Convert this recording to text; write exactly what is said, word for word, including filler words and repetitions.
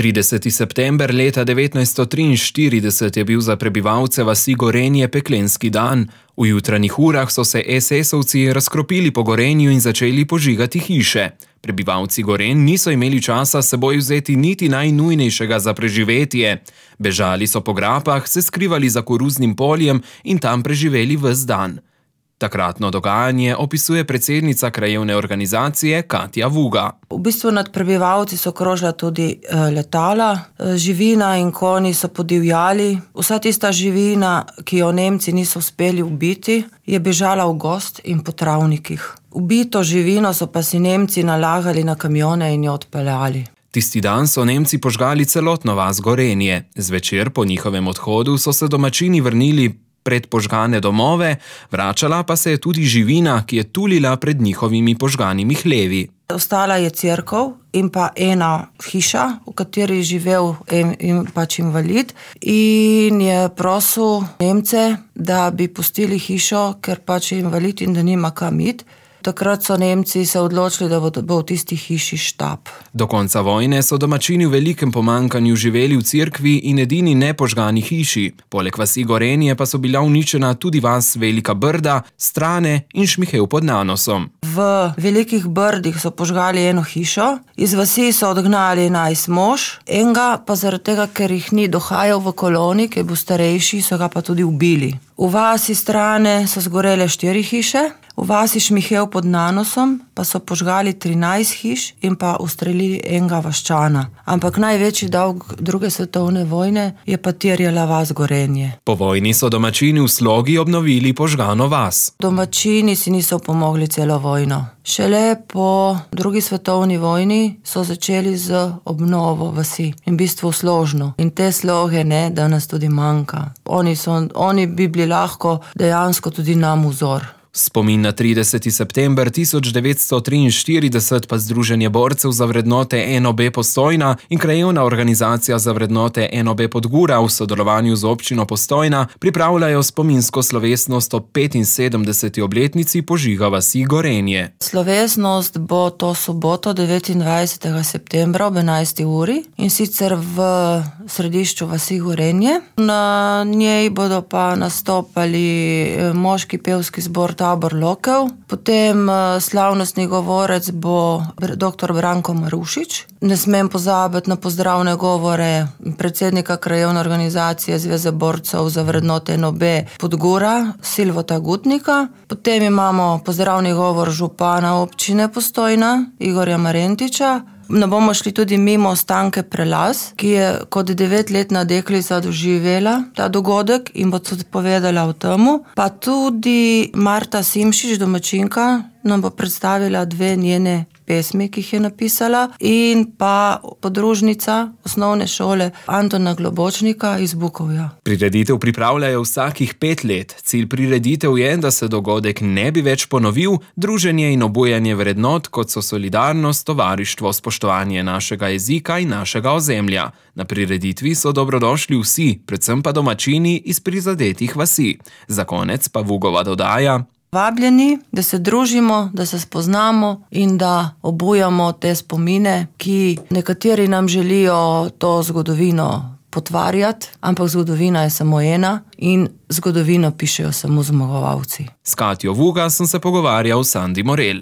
trideseti september leta devetnajststo triinštirideset je bil za prebivalce vasi Gorenje peklenski dan. V jutranjih urah so se esesovci razkropili po Gorenju in začeli požigati hiše. Prebivalci Gorenj niso imeli časa s seboj vzeti niti najnujnejšega za preživetje. Bežali so po grapah, se skrivali za koruznim poljem in tam preživeli ves dan. Takratno dogajanje opisuje predsednica krajevne organizacije Katja Vuga. V bistvu nad prebivalci so krožila tudi letala, živina in konji so podivjali. Vsa tista živina, ki jo Nemci niso uspeli ubiti, je bežala v gozd in po travnikih. Ubito živino so pa si Nemci nalagali na kamione in jo odpeljali. Tisti dan so Nemci požgali celotno vas Gorenje. Zvečer po njihovem odhodu so se domačini vrnili pred požgane domove, vračala pa se je tudi živina, ki je tulila pred njihovimi požganimi hlevi. Ostala je cerkev in pa ena hiša, v kateri je živel en, in pač invalid, in je prosil Nemce, da bi pustili hišo, ker pač je invalid in da nima kam iti. Takrat so Nemci se odločili, da bo v tisti hiši štab. Do konca vojne so domačini v velikem pomanjkanju živeli v cerkvi in edini nepožgani hiši. Poleg vasi Gorenje pa so bila uničena tudi vas Velika Brda, Strane in Šmihev pod Nanosom. V Velikih Brdih so požgali eno hišo, iz vasi so odgnali enajst mož, enega pa zaradi tega, ker jih ni dohajal v koloni, ki je bil starejši, so ga pa tudi ubili. V vasi Strane so zgorele štiri hiše, v vasi Šmihev pod Nanosom pa so požgali trinajst hiš in pa ustrelili enega vaščana. Ampak največji dolg druge svetovne vojne je pa terjala vas Gorenje. Po vojni so domačini v Slogi obnovili požgano vas. Domačini si niso pomogli celo vojno. Šele po drugi svetovni vojni so začeli z obnovo vasi in v bistvu složno. In te sloge ne, danes tudi manjka. Oni, so, oni bi bili lahko dejansko tudi nam vzor. Spomin na trideseti september tisoč devetsto triinštirideset pa Združenje borcev za vrednote N O B Postojna in krajevna organizacija za vrednote N O B Podgura v sodelovanju z občino Postojna pripravljajo spominsko slovesnost ob petinsedemdeseti obletnici požiga vasi Gorenje. Slovesnost bo to soboto devetindvajsetega septembra ob enajsti uri in sicer v središču vasi Gorenje. Na njej bodo pa nastopali moški pevski zbor Tabor Lokev, potem slavnostni govorec bo doktor Branko Marušič. Ne smem pozabiti na pozdravne govore predsednika krajevne organizacije Zveze borcev za vrednote N O B Podgura, Silvota Gutnika. Potem imamo pozdravni govor župana občine Postojna, Igorja Marentiča. Ne bomo šli tudi mimo Stanke Prelaz, ki je kot devetletna deklica doživela ta dogodek in bo tudi povedala o temu. Pa tudi Marta Simšič, domačinka, nam bo predstavila dve njene pesmi, ki jih je napisala, in pa podružnica osnovne šole Antona Globočnika iz Bukovja. Prireditev pripravljajo vsakih pet let. Cilj prireditev je, da se dogodek ne bi več ponovil, druženje in obujanje vrednot, kot so solidarnost, tovarištvo, spoštovanje našega jezika in našega ozemlja. Na prireditvi so dobrodošli vsi, predvsem pa domačini iz prizadetih vasi. Za konec pa Vugova dodaja: Vabljeni, da se družimo, da se spoznamo in da obujamo te spomine, ki nekateri nam želijo to zgodovino potvarjati, ampak zgodovina je samo ena in zgodovino pišejo samo zmagovalci. S Katjo Vuga sem se pogovarjal s Sandi Morel.